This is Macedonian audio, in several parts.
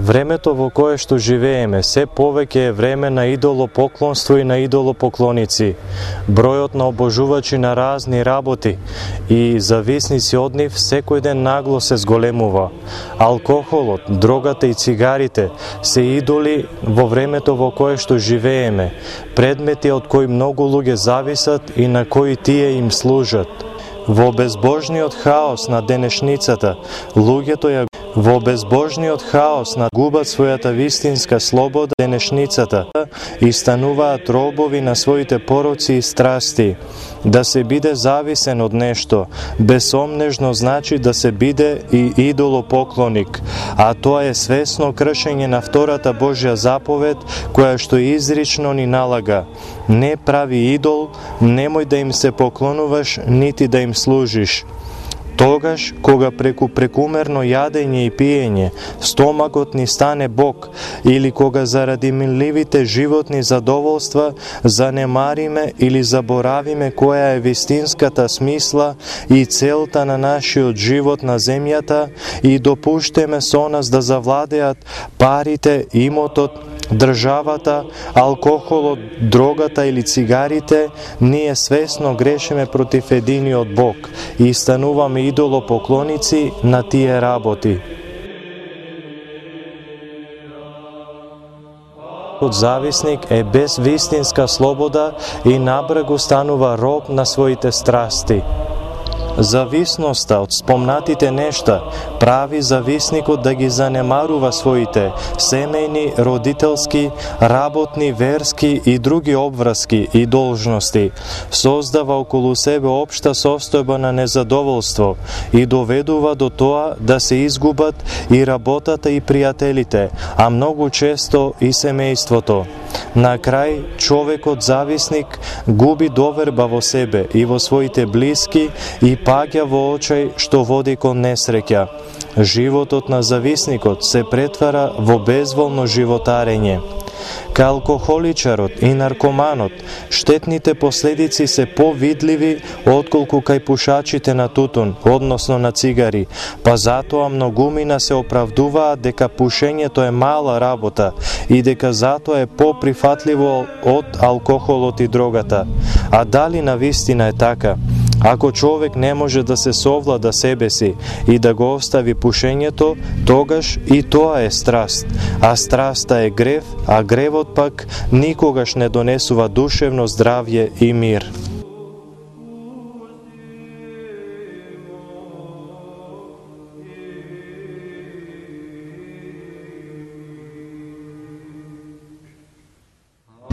Времето во кое што живееме се повеќе е време на идолопоклонство и на идолопоклоници. Бројот на обожувачи на разни работи и зависници од нив секој ден нагло се зголемува. Алкохолот, дрогата и цигарите се идоли во времето во кое што живееме, предмети од кои многу луѓе зависат и на кои тие им служат. Во безбожниот хаос на денешницата, луѓето губат својата вистинска слобода денешницата и стануваат робови на своите пороци и страсти. Да се биде зависен од нешто, безсомнежно значи да се биде и идолопоклоник, а тоа е свесно кршење на втората Божја заповед, која што изрично ни налага: не прави идол, немој да им се поклонуваш, нити да им служиш. Тогаш, кога преку прекумерно јадење и пиење, стомакот ни стане Бог, или кога заради минливите животни задоволства занемариме или заборавиме која е вистинската смисла и целта на нашиот живот на земјата и допуштеме со нас да завладеат парите, имотот, државата, алкохолот, дрогата или цигарите, ние свесно грешиме против единиот Бог и стануваме идолопоклоници на тие работи. Зависник е без вистинска слобода и набрегу станува роб на своите страсти. Зависноста од спомнатите нешта прави зависникот да ги занемарува своите семејни, родителски, работни, верски и други обврски и должности, создава околу себе општа состојба на незадоволство и доведува до тоа да се изгубат и работата и пријателите, а многу често и семејството. На крај, човекот зависник губи доверба во себе и во своите блиски и паѓа во очај што води кон несреќа. Животот на зависникот се претвара во безволно животарење. Кај алкохоличарот и наркоманот, штетните последици се повидливи отколку кај пушачите на тутун, односно на цигари, па затоа многумина се оправдуваат дека пушењето е мала работа и дека затоа е поприфатливо од алкохолот и дрогата. А дали навистина е така? Ако човек не може да се совлада себе си и да го остави пушењето, тогаш и тоа е страст. А страста е грев, а гревот пак никогаш не донесува душевно здравје и мир.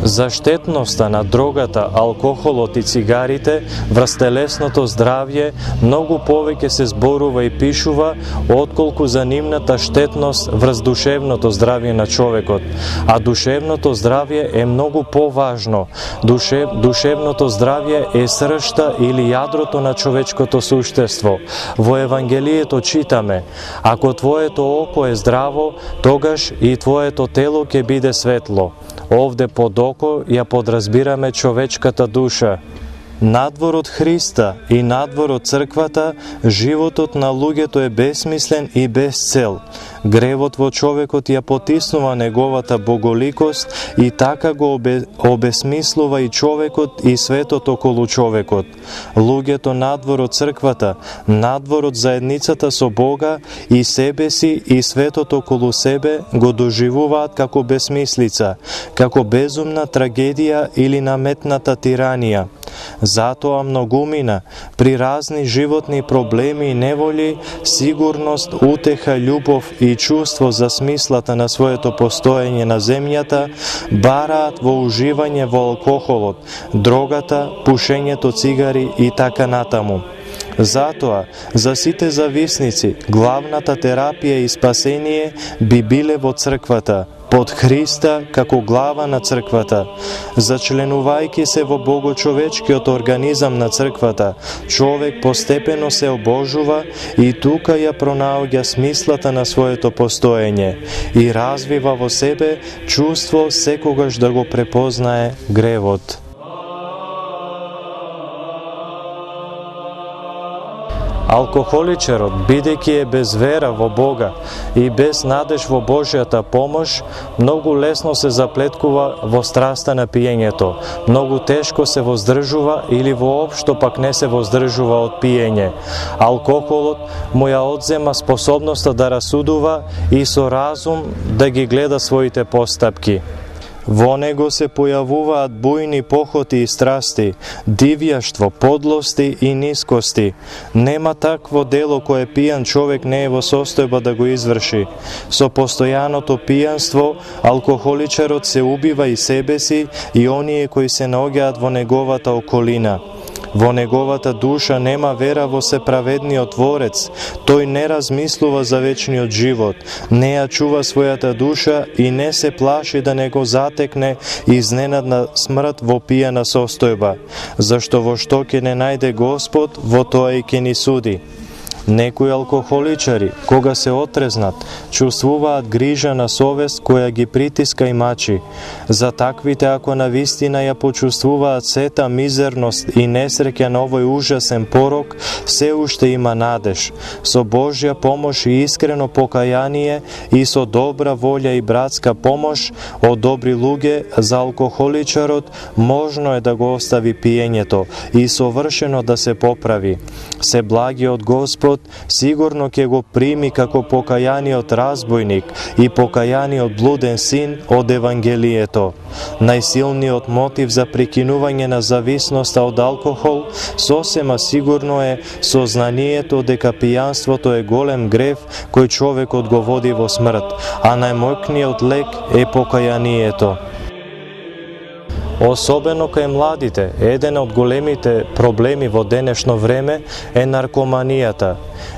За штетноста на дрогата, алкохолот и цигарите врз телесното здравје многу повеќе се зборува и пишува отколку за нивната штетност врз душевното здравје на човекот. А душевното здравје е многу поважно. Душевното здравје е сршта или јадрото на човечкото суштество. Во Евангелието читаме: ако твоето око е здраво, тогаш и твоето тело ќе биде светло. Овде под око ја подразбираме човечката душа. Надвор од Христа и надвор од црквата, животот на луѓето е бесмислен и без цел. Гревот во човекот ја потиснува неговата боголикост и така го обесмислува и човекот и светот околу човекот. Луѓето надвор од црквата, надвор од заедницата со Бога и себе си и светот околу себе го доживуваат како бесмислица, како безумна трагедија или наметната тиранија. Затоа многумина при разни животни проблеми и неволи, сигурност, утеха, љубов и чувство за смислата на своето постоење на земјата бараат во уживање во алкохолот, дрогата, пушењето цигари и така натаму. Затоа, за сите зависници, главната терапија и спасение би биле во црквата, под Христа како глава на црквата. Зачленувајќи се во богочовечкиот организам на црквата, човек постепено се обожува и тука ја пронаоѓа смислата на своето постоење и развива во себе чувство секогаш да го препознае гревот. Алкохоличарот, бидејќи е без вера во Бога и без надеж во Божјата помош, многу лесно се заплеткува во страста на пиењето, многу тешко се воздржува или воопшто пак не се воздржува од пиење. Алкохолот му ја одзема способноста да расудува и со разум да ги гледа своите постапки. Во него се појавуваат бујни похоти и страсти, дивјаштво, подлости и нискости. Нема такво дело кое пијан човек не е во состојба да го изврши. Со постојаното пијанство, алкохоличарот се убива и себе си и оние кои се наоѓаат во неговата околина. Во неговата душа нема вера во Сеправедниот Творец, тој не размислува за вечниот живот, не ја чува својата душа и не се плаши да не го затекне изненадна смрт во пијана состојба, зашто во што ќе не најде Господ, во тоа и ќе ни суди. Некои алкохоличари, кога се отрезнат, чувствуваат грижа на совест која ги притиска и мачи. За таквите, ако навистина ја почувствуваат сета мизерност и несреќа на овој ужасен порок, се уште има надеж. Со Божја помош и искрено покаяние и со добра волја и братска помош од добри луѓе, за алкохоличарот можно е да го остави пиењето и совршено да се поправи. Се благиот Господ сигурно ќе го прими како покајаниот разбойник и покајаниот блуден син од Евангелието. Најсилниот мотив за прекинување на зависноста од алкохол сосема сигурно е сознанието дека пијанството е голем грев кој човекот го води во смрт, а најмојкниот лек е покајанието. Особено кај младите, еден од големите проблеми во денешно време е наркоманијата.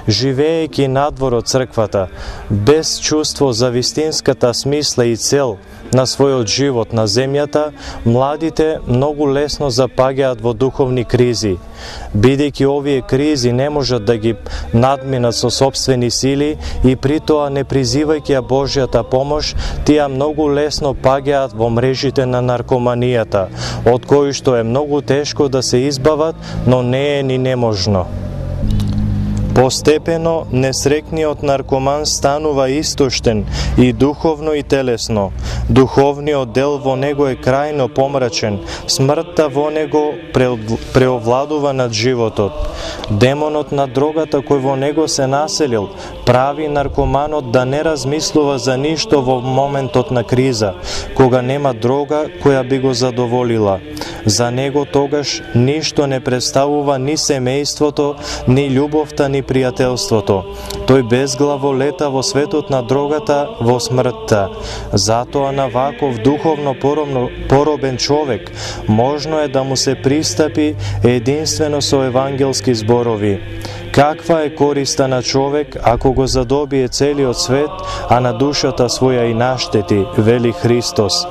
Живеејќи надвор од црквата, без чувство за вистинската смисла и цел на својот живот на земјата, младите многу лесно запаѓаат во духовни кризи. Бидејќи овие кризи не можат да ги надминат со сопствени сили и притоа не призивајќи ја Божјата помош, тие многу лесно паѓаат во мрежите на наркоманијата, од кои што е многу тешко да се избават, но не е ни неможно. Постепено, несрекниот наркоман станува истоштен и духовно и телесно. Духовниот дел во него е крајно помрачен, смртта во него преовладува над животот. Демонот на дрогата кој во него се населил, прави наркоманот да не размислува за ништо во моментот на криза, кога нема дрога која би го задоволила. За него тогаш ништо не представува ни семејството, ни љубовта, ни пријателството. Тој безглаво лета во светот на дрогата, во смртта. Затоа на ваков духовно поробен човек можно е да му се пристапи единствено со евангелски зборови. Каква е користа на човек ако го задобие целиот свет, а на душата своја и наштети, вели Христос.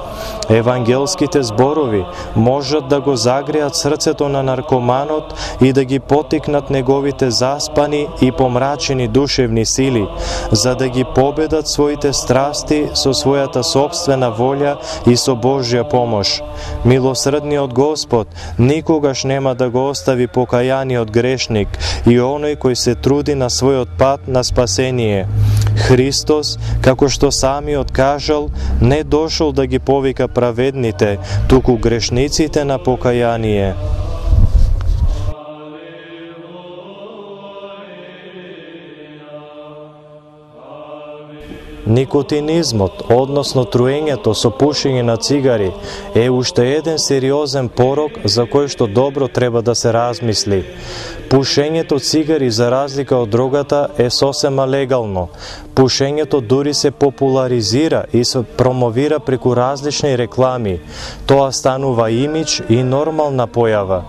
Евангелските зборови можат да го загреат срцето на наркоманот и да ги потикнат неговите заспани и помрачени душевни сили, за да ги победат своите страсти со својата собствена волја и со Божја помош. Милосредниот Господ никогаш нема да го остави покајаниот грешник и оној кој се труди на својот пат на спасение. Христос, како што самиот кажал, не дошол да ги повика праведните, туку грешниците на покаяние. Никотинизмот, односно труењето со пушење на цигари, е уште еден сериозен порок за кој што добро треба да се размисли. Пушењето цигари, за разлика од дрогата, е сосема легално. Пушењето дури се популаризира и се промовира преку различни реклами. Тоа станува имидж и нормална појава.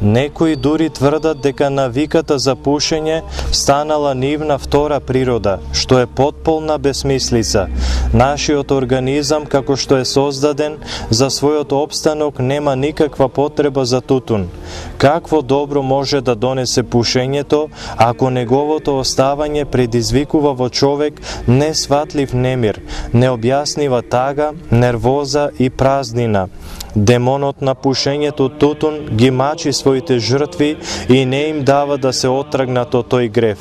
Некои дури тврдат дека навиката за пушење станала нивна втора природа, што е потполна бесмислица. Нашиот организам, како што е создаден, за својот опстанок нема никаква потреба за тутун. Какво добро може да донесе пушењето, ако неговото оставање предизвикува во човек несватлив немир, необјаснива тага, нервоза и празнина? Демонот на пушењето тутун ги мачи своите жртви и не им дава да се отргнат од тој грев.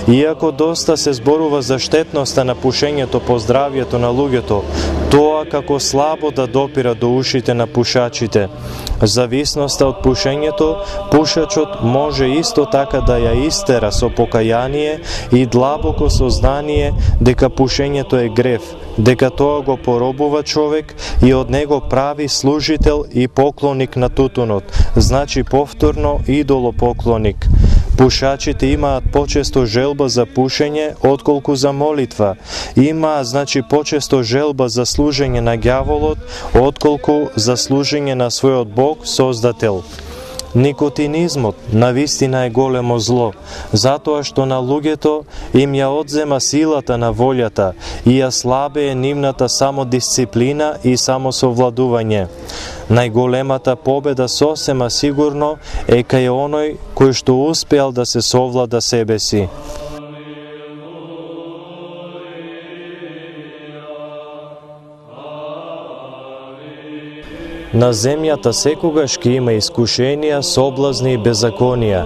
Иако доста се зборува за штетноста на пушењето по здравјето на луѓето, тоа како слабо да допира до ушите на пушачите. Зависноста од пушењето, пушачот може исто така да ја истера со покаяние и длабоко сознание дека пушењето е грев, дека тоа го поробува човек и од него прави служител и поклоник на тутунот, значи повторно идолопоклоник. Пушачите имаат почесто желба за пушење отколку за молитва. Имаат, значи, почесто желба за служење на ѓаволот отколку за служење на својот Бог, Создател. Никотинизмот навистина е големо зло, затоа што на луѓето им ја одзема силата на волјата и ја слабее нивната самодисциплина и самосовладување. Најголемата победа сосема сигурно е кај оној кој што успеал да се совлада себе си. На земјата секогаш ќе има искушенија, соблазни и беззаконија.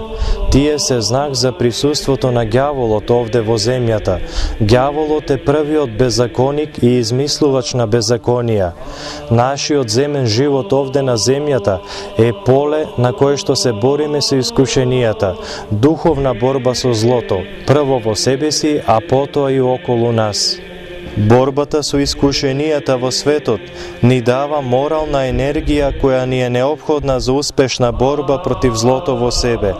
Тие се знак за присуството на ѓаволот овде во земјата. Ѓаволот е првиот беззаконик и измислувач на беззаконија. Нашиот земен живот овде на земјата е поле на кое што се бориме со искушенијата, духовна борба со злото, прво во себе си, а потоа и околу нас. Борбата со искушенијата во светот ни дава морална енергија која ни е неопходна за успешна борба против злото во себе.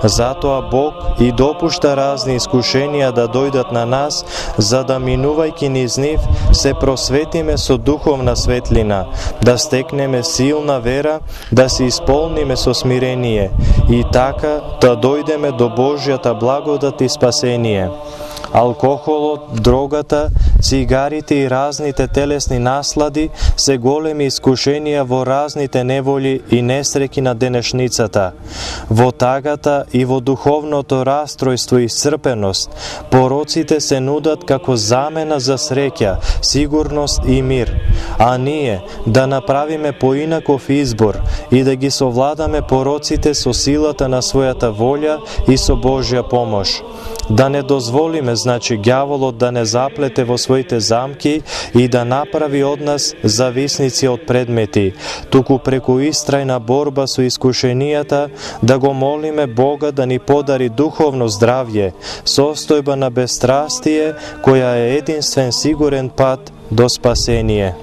Затоа Бог и допушта разни искушенија да дојдат на нас, за да минувајќи низ нив се просветиме со духовна светлина, да стекнеме силна вера, да се исполниме со смирение и така да дојдеме до Божјата благодат и спасение. Алкохолот, дрогата, цигарите и разните телесни наслади се големи искушенија во разните неволи и несреќи на денешницата. Во тагата и во духовното растројство и исцрпеност, пороците се нудат како замена за среќа, сигурност и мир, а ние да направиме поинаков избор и да ги совладаме пороците со силата на својата волја и со Божја помош. Да не дозволиме, значи, ѓаволот да не заплете во своите замки и да направи од нас зависници од предмети, туку преку истрајна борба со искушенијата да го молиме Бога да ни подари духовно здравје, состојба на бестрастие, која е единствен сигурен пат до спасение.